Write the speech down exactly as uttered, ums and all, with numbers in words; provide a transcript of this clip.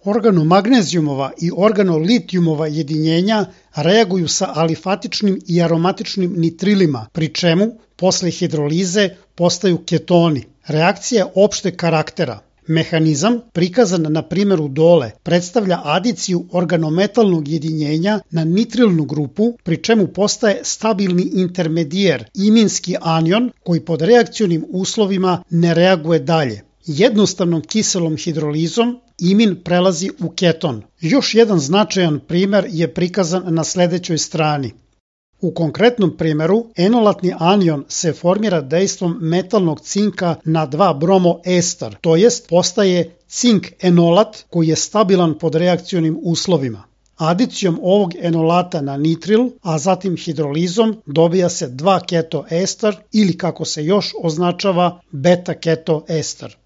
Organomagnezijumova i organolitijumova jedinjenja reaguju sa alifatičnim i aromatičnim nitrilima, pri čemu posle hidrolize postaju ketoni. Reakcija je opšteg karaktera. Mehanizam, prikazan na primjeru dole, predstavlja adiciju organometalnog jedinjenja na nitrilnu grupu, pri čemu postaje stabilni intermedijer, iminski anion, koji pod reakcionim uslovima ne reaguje dalje. Jednostavnom kiselom hidrolizom imin prelazi u keton. Još jedan značajan primer je prikazan na sledećoj strani. U konkretnom primjeru, enolatni anion se formira dejstvom metalnog cinka na dva bromoester, to jest postaje cink enolat koji je stabilan pod reakcionim uslovima. Adicijom ovog enolata na nitril, a zatim hidrolizom, dobija se dva ketoester ili kako se još označava beta ketoester.